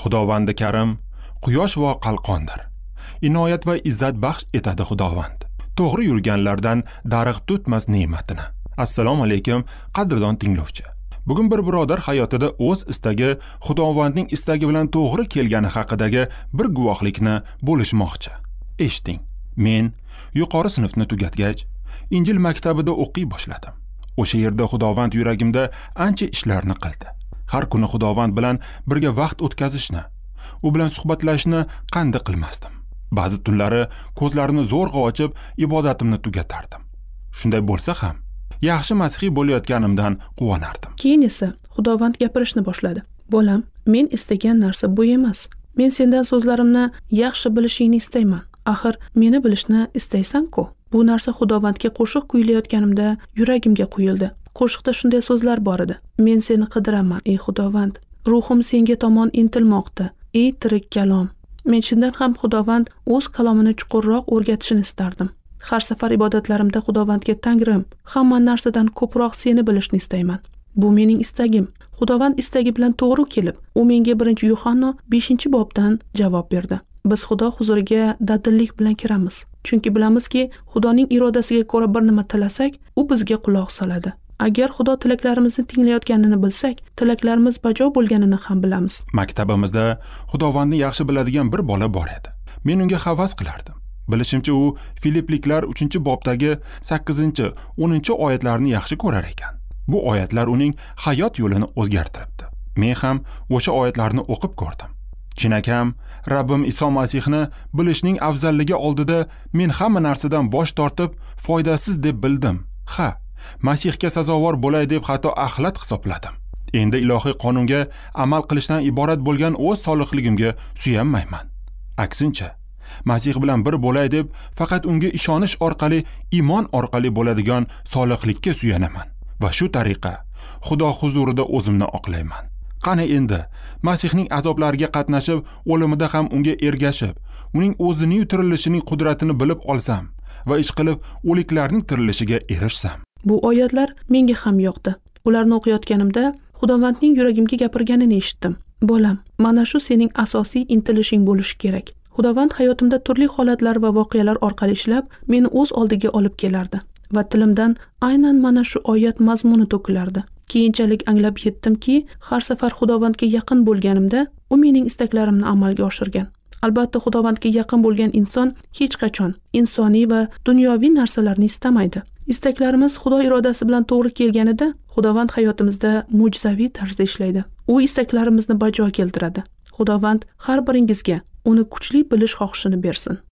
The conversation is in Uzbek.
Xudovandi karim quyosh va qalqondir. Inoyat va izzat baxsh etadi Xudovand. To'g'ri yurganlardan darig' tutmas ne'matini. Assalomu alaykum, qadrdon tinglovchi. Bugun bir birodar hayotida o'z istagi Xudovandning istagi bilan to'g'ri kelgani haqidagi bir guvohlikni bo'lishmoqchi. Eshiting. Men yuqori sinfni tugatgach, Injil maktabida o'qiy boshladim. O'sha yerda Xudovand yuragimda ancha ishlarni qildi. Har kuni Xudovand bilan birga vaqt o'tkazishni, u bilan suhbatlashishni qanday qilmasdim. Ba'zi tunlari ko'zlarimni zo'rg'a ochib ibodatimni tugatardim. Shunday bo'lsa ham, yaxshi masihiy bo'layotganimdan quvonardim. Keyin esa Xudovand gapirishni boshladi. Bolam, men istagan narsa bu emas. Men sendan so'zlarimni yaxshi bilishingni istayman. Axir meni bilishni istaysan-ku. Bu narsa Xudovandga qo'shiq kuylayotganimda yuragimga quyildi. Qo'shiqda shunday so'zlar bor edi. Men seni qidiraman, ey Xudovand. Ruhim senga tomon intilmoqda, ey tirik kalom. Men chindan ham Xudovand o'z kalomini chuqurroq o'rgatishini istardim. Har safar ibodatlarimda Xudovandga Tangrim, hamma narsadan ko'proq seni bilishni istayman. Bu mening istagim. Xudovand istagi bilan to'g'ri kelib, u menga 1-Yuhanno 5-bobdan javob berdi. Biz Xudo huzuriga dadillik bilan kiramiz. Chunki bilamizki, Xudoning irodasiga ko'ra bir nima tilasak, u bizga quloq soladi. Agar Xudo tilaklarimizni tinglayotganini bilsak, tilaklarimiz bajo bo'lganini ham bilamiz. Maktabimizda Xudovandni yaxshi biladigan bir bola bor edi. Men unga havas qilardim. Bilishimcha, u Filipliklar 3-bobdagi 8-10 oyatlarni yaxshi ko'rar ekan. Bu oyatlar uning hayot yo'lini o'zgartiribdi. Men ham o'sha oyatlarni o'qib ko'rdim. Chinakam, Rabbim Iso Masihni bilishning afzalligi oldida men hamma narsadan bosh tortib, foydasiz deb bildim. Ha, Masihga sazovor bo'lay deb hatto axlat hisobladim. Endi ilohiy qonunga amal qilishdan iborat bo'lgan o'z solihligimga suyanmayman. Aksincha, Masih bilan bir bo'lay deb faqat unga ishonish orqali, iymon orqali bo'ladigan solihlikka suyanaman va shu tariqa Xudo huzurida o'zimni oqlayman. Qani endi Masihning azoblariga qatnashib, o'limida ham unga ergashib, uning o'zining tirilishining qudratini bilib olsam va ish qilib o'liklarning tirilishiga erishsam. Bu oyatlar menga ham yoqdi. Ularni o'qiyotganimda Xudovandning yuragimga gapirganini eshitdim. Bolam, mana shu sening asosiy intilishing bo'lishi kerak. Xudovand hayotimda turli holatlar va voqealar orqali ishlab, meni o'z oldiga olib kelardi va tilimdan aynan mana shu oyat mazmuni to'kilardi. Keyinchalik anglab yetdimki, har safar Xudovandga yaqin bo'lganimda, u mening istaklarimni amalga oshirgan. Albatta, Xudovandga yaqin bo'lgan inson hech qachon insoniy va dunyoviy narsalarni istamaydi. Istaklarimiz Xudo irodasi bilan to'g'ri kelganida, Xudovand hayotimizda mo'jizaviy tarzda ishlaydi. U istaklarimizni bajo keltiradi. Xudovand har biringizga uni kuchli bilish xohishini bersin.